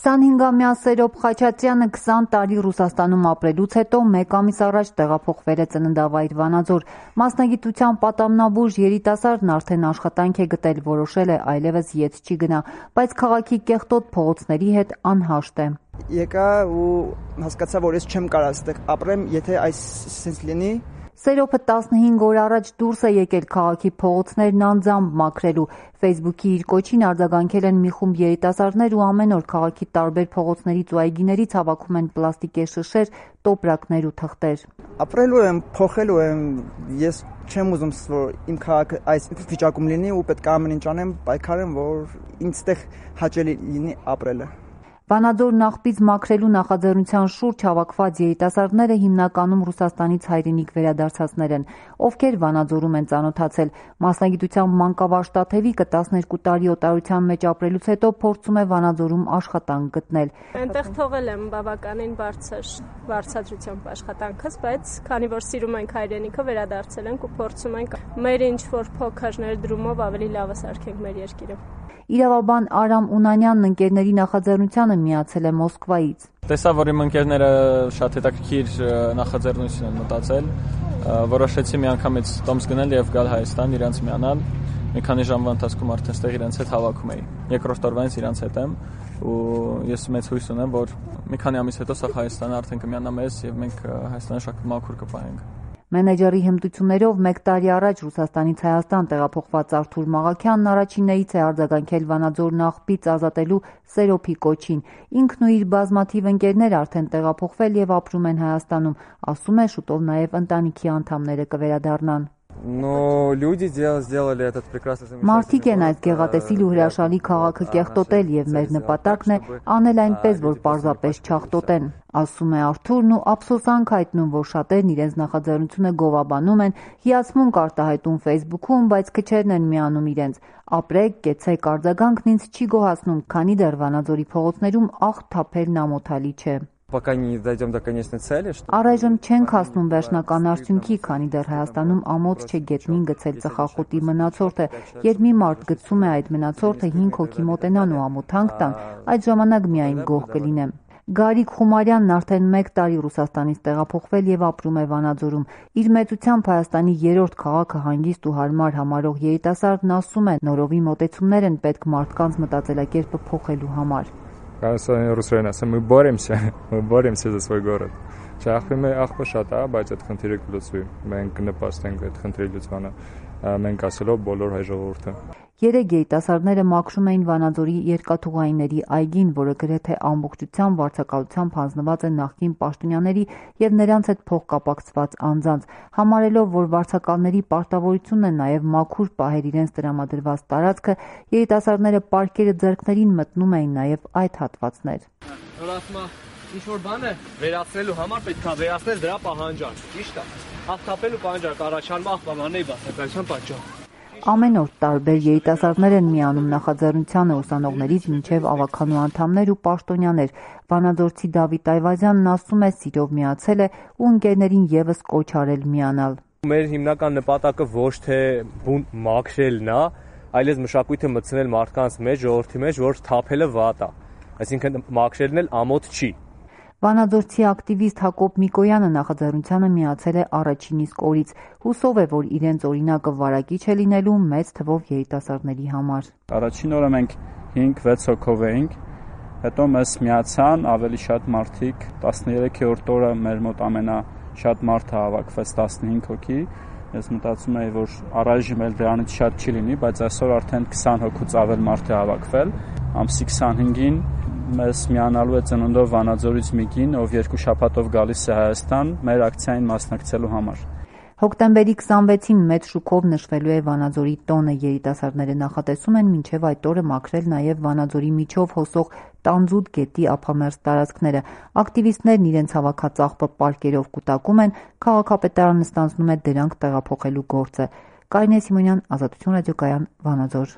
25-ամյա Սերոբ Խաչատրյանը 20 տարի Ռուսաստանում ապրելուց հետո մեկ ամիս առաջ տեղափոխվել է ծննդավայր Վանաձոր։ Մասնագիտությամբ պատամնաբույժ երիտասարդն արդեն աշխատանք է գտել, որոշել է այլևս ետ չի գնա, բայց քաղաքի կեղտոտ փողոցների հետ անհաշտ է։ Եկա ու հասկացա, որ ես չեմ կարող այստեղ ապրեմ, եթե այսպես լինի։ Սերոբը 15 օր առաջ դուրս է եկել քաղաքի փողոցներն անձամբ մաքրելու։ Facebook-ի իր կոչին արձագանքել են մի խումբ երիտասարդներ ու ամեն օր քաղաքի տարբեր փողոցներից ու այգիներից հավաքում են պլաստիկե շշեր, տոպրակներ ու թղթեր։ Ապրելու եմ, փոխելու եմ, ես չեմ ուզում, որ իմ քաղաքը այս վիճակում լինի ու պետք է ամեն ինչ անեմ, պայքարեմ, որ ինձ հաճելի լինի ապրելը։ Վանաձորն աղբից մաքրելու նախաձեռնության շուրջ հավաքված երիտասարդները հիմնականում Ռուսաստանից հայրենիք վերադարձածներ են, ովքեր Վանաձորում են ծանոթացել։ Մասնագիտությամբ մանկավարժ-տաթևիկը 12 տարի օտարության մեջ ապրելուց հետո փորձում է Վանաձորում աշխատանք գտնել։ Այնտեղ թողել եմ բավականին բարձր վարձատրությամբ աշխատանքս, բայց քանի որ սիրում ենք հայրենիքը, վերադարձել ենք ու փորձում ենք մեր ինչ-որ փոքր ներդրումով ավելի լավը սարքենք մեր երկիրը։ Իրավաբան Արամ Ունանյանն ընկերների նախաձեռնությանը միացել է Մոսկվայից։ Տեսա, որ իմ ընկերները շատ հետաքրքիր նախաձեռնություն են մտածել, որոշեցի միանգամից տոմս գնել եւ գալ Հայաստան, իրենց միանալ։ Մի քանի ժամվա ընթացքում արդեն ստեղ իրենց հետ հավաքում էի։ Երկրորդ օրվանից իրենց հետ եմ ու ես մեծ հույս ունեմ, որ մի քանի ամիս հետո սա Հայաստանը արդեն կմիանա մեզ եւ մենք Հայաստանը շատ մաքուր կպահենք։ Մենեջերի հմտություններով մեկ տարի առաջ Ռուսաստանից Հայաստան տեղափոխված Արթուր Մաղաքյանն առաջիններից է արձագանքել Վանաձորն աղբից ազատելու Սերոբի կոչին։ Ինքն ու իր բազմաթիվ ընկերներ արդեն տեղափոխվել եւ ապրում են Հայաստանում, ասում է, շուտով նաեւ ընտանիքի անդամները կվերադառնան։ Մարդիկ են այս գեղատեսիլ ու հրաշալի քաղաքը կեղտոտել եւ մեր նպատակն է անել այնպես, որ պարզապես չաղտոտեն, ասում է Արթուրն ու ափսոսանք հայտնում, որ շատերն իրենց նախաձեռնությունը գովաբանում են, հիացմունք արտահայտում Facebook-ում, բայց քչերն են միանում իրենց։ Ապրեք, կեցեք, արձագանքն ինձ չի գոհացնում, քանի դեռ Վանաձորի փողոցներում աղտ թափելն ամոթալի չէ։ Առայժմ չենք հասնում վերջնական արդյունքի, քանի դեռ Հայաստանում ամոթ չէ գետնին գցել ծխախոտի մնացորդը, երբ մի մարդ գցում է այդ մնացորդը 5 հոգի մոտենան ու ամոթանք տան, այդ ժամանակ միայն գոհ կլինեմ։ Գարիկ Խումարյանն արդեն մեկ տարի Ռուսաստանից տեղափոխվել եւ ապրում է Վանաձորում։ Իր մեծությամբ Հայաստանի երրորդ քաղաքը հանգիստ ու հարմար համարող երիտասարդն ասում է, նորովի մոտեցումներ են պետք մարդկանց մտածելակերպը փոխելու համար։ Ռուսերեն ասեմ, мы боремся за свой город։ Աղբը շատ է, բայց այդ խնդիրը կլուծվի։ Մենք կնպաստենք այդ խնդրի լուծմանը, մենք ասելով բոլոր հայ ժողովուրդը։ Երեք երիտասարդները մաքրում էին Վանաձորի երկաթուղայինների այգին, որը գրեթե ամբողջությամբ վարձակալությամբ հանձնված է նախկին պաշտոնյաների եւ նրանց հետ փոխկապակցված անձանց, համարելով, որ վարձակալների պարտավորությունն է նաեւ մաքուր պահել իրենց տրամադրված տարածքը, երիտասարդները պարկերը ձեռքներին մտնում էին նաեւ այդ հատվածներ։ Ինչ-որ բան է վերացնելու համար պետք է վերացնել դրա պահանջարկ, ճիշտ է։ Աղթապելու պահանջարկ առաջանում աղբամանների բացակայության պատճառով։ Ամեն օր տարբեր երիտասարդներ են միանում նախաձեռնությանը ուսանողներից մինչև ավականու անդամներ ու պաշտոնյաներ։ Վանաձորցի Դավիթ Այվազյանն ասում է, սիրով միացել է ու ընկերներին եւս կոչ արել միանալ։ Մեր հիմնական նպատակը ոչ թե բուն մաքրելն է, այլև մշակույթը մտցնել մարդկանց մեջ, ժողովրդի մեջ, որ թափելը վատ է։ Այսինքն մաքրելն էլ ամոթ չի։ Վանաձորցի ակտիվիստ Հակոբ Միկոյանը նախաձեռնությանը միացել է առաջին իսկ օրից, հուսով է, որ իրենց օրինակը վարակիչ է լինելու մեծ թվով երիտասարդների համար։ Առաջին օրը մենք 5-6 հոգով էինք, հետո մեզ միացան ավելի շատ մարդիկ, 13-րդ օրը մեր մոտ ամենաշատ մարդը հավաքվեց 15 հոգի։ Ես մտածում եի, որ առայժմ էլ դրանից շատ չի լինի, բայց այսօր արդեն 20 հոգուց ավել մարդ է հավաքվել։ Ամսի 25-ին մեզ միանալու է ծննդով Վանաձորից մի կին, ով 2 շաբաթով գալիս է Հայաստան մեր ակցիային մասնակցելու համար։ Հոկտեմբերի 26-ին մեծ շուկով նշվելու է Վանաձորի տոնը, երիտասարդները նախատեսում են մինչև այդ օրը մաքրել նաև Վանաձորի միջով հոսող Տանձուտ գետի ափամերձ տարածքները։ Ակտիվիստներն իրենց հավաքած աղբը պարկերով կուտակում են, քաղաքապետարանը ստանձնում է դրանք տեղափոխելու գործը։ Կարինե Սիմոնյան, Ազատություն ռադիոկայան, Վանաձոր։